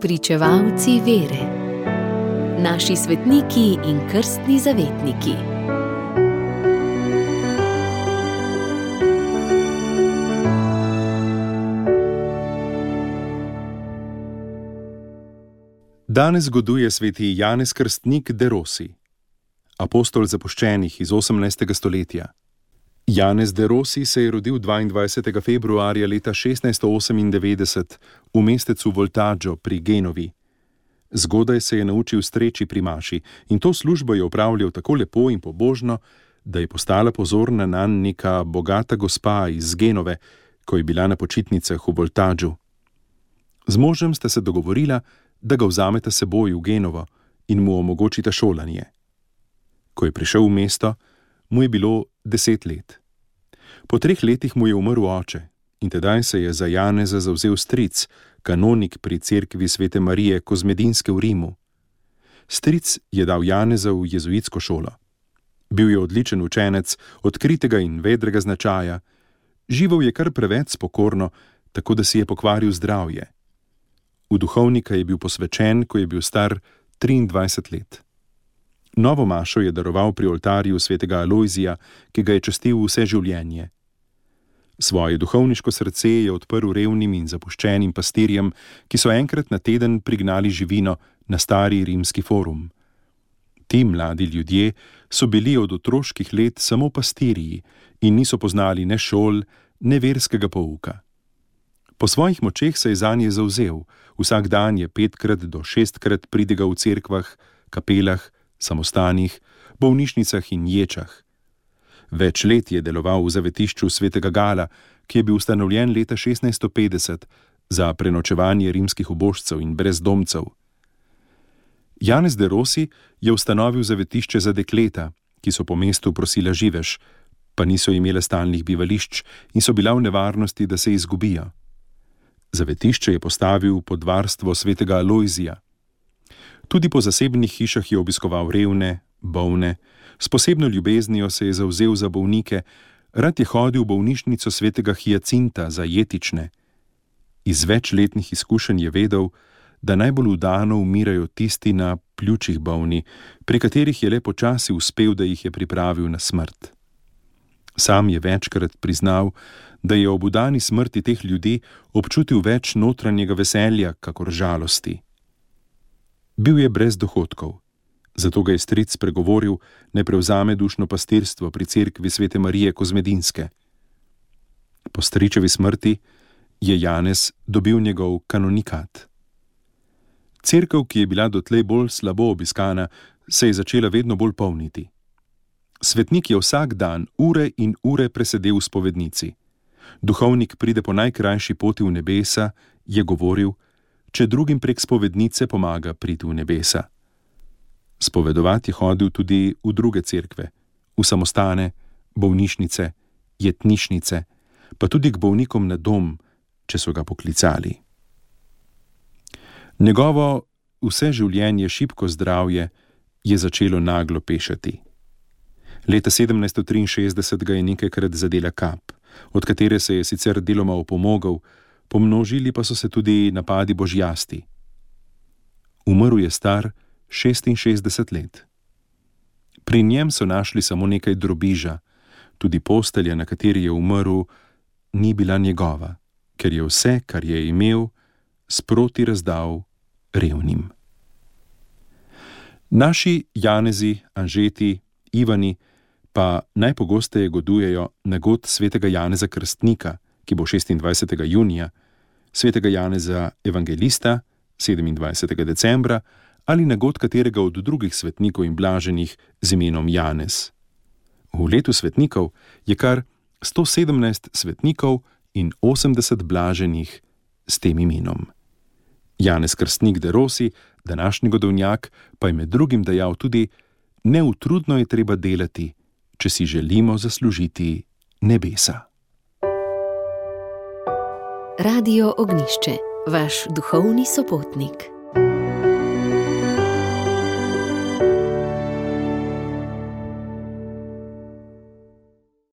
Spričevalci vere. Naši svetniki in krstni zavetniki. Danes zgoduje sveti Janez Krstnik de Rossi, apostol zapuščenih iz 18. stoletja. Janez de Rossi se je rodil 22. februarja leta 1698 v mestecu Voltaggio pri Genovi. Zgodaj se je naučil streči pri maši in to službo je opravljal tako lepo in pobožno, da je postala pozorna nanj neka bogata gospa iz Genove, ko je bila na počitnicah v Voltaggiu. Z možem sta se dogovorila, da ga vzameta seboj v Genovo in mu omogočita šolanje. Ko je prišel v mesto, mu je bilo 10 let. Po 3 letih mu je umrl oče in tedaj se je za Janeza zavzel stric, kanonik pri cerkvi Svete Marije Kozmedinske v Rimu. Stric je dal Janeza v jezuitsko šolo. Bil je odličen učenec, odkritega in vedrega značaja. Živel je kar preveč spokorno, tako da si je pokvaril zdravje. V duhovnika je bil posvečen, ko je bil star 23 let. Novo mašo je daroval pri oltarju svetega Alojzija, ki ga je častil vse življenje. Svoje duhovniško srce je odprl revnim in zapuščenim pastirjem, ki so enkrat na teden prignali živino na stari rimski forum. Ti mladi ljudje so bili od otroških let samo pastirji in niso poznali ne šol, ne verskega pouka. Po svojih močeh se je zanje zavzel, vsak dan je 5-krat do 6-krat pridigal v cerkvah, kapelah, samostanih, bolnišnicah in ječah. Več let je deloval v zavetišču svetega Gala, ki je bil ustanovljen leta 1650 za prenočevanje rimskih ubožcev in brezdomcev. Janez de Rossi je ustanovil zavetišče za dekleta, ki so po mestu prosila živež, pa niso imele stalnih bivališč in so bila v nevarnosti, da se izgubijo. Zavetišče je postavil pod varstvo svetega Alojzija. Tudi po zasebnih hišah je obiskoval revne, bolne, s posebno ljubeznijo se je zavzel za bolnike, rad je hodil v bolnišnico svetega Hiacinta za jetične. Iz večletnih izkušenj je vedel, da najbolj vdano umirajo tisti na pljučih bolni, pri katerih je le počasi uspel, da jih je pripravil na smrt. Sam je večkrat priznal, da je ob udani smrti teh ljudi občutil več notranjega veselja, kakor žalosti. Bil je brez dohodkov, zato ga je stric pregovoril, ne prevzame dušno pastirstvo pri cerkvi Svete Marije Kozmedinske. Po stričevi smrti je Janez dobil njegov kanonikat. Cerkev, ki je bila dotlej bolj slabo obiskana, se je začela vedno bolj polniti. Svetnik je vsak dan ure in ure presedel v spovednici. Duhovnik pride po najkrajši poti v nebesa, je govoril, če drugim prek spovednice pomaga priti v nebesa. Spovedovat je hodil tudi v druge cerkve, v samostane, bolnišnice, jetnišnice, pa tudi k bolnikom na dom, če so ga poklicali. Njegovo vse življenje šibko zdravje je začelo naglo pešati. Leta 1763 ga je nekajkrat zadela kap, od katere se je sicer deloma opomogel, pomnožili pa so se tudi napadi božjasti. Umrl je star 66 let. Pri njem so našli samo nekaj drobiža, tudi postelja, na kateri je umrl, ni bila njegova, ker je vse, kar je imel, sproti razdal revnim. Naši Janezi, Anžeti, Ivani pa najpogosteje godujejo na god svetega Janeza Krstnika, ki bo 26. junija, svetega Janeza Evangelista 27. decembra ali na god katerega od drugih svetnikov in blaženih z imenom Janez. V letu svetnikov je kar 117 svetnikov in 80 blaženih s tem imenom. Janez Krstnik de Rossi, današnji godovnjak, pa je med drugim dejal tudi: neutrudno je treba delati, če si želimo zaslužiti nebesa. Radio Ognjišče, vaš duhovni sopotnik.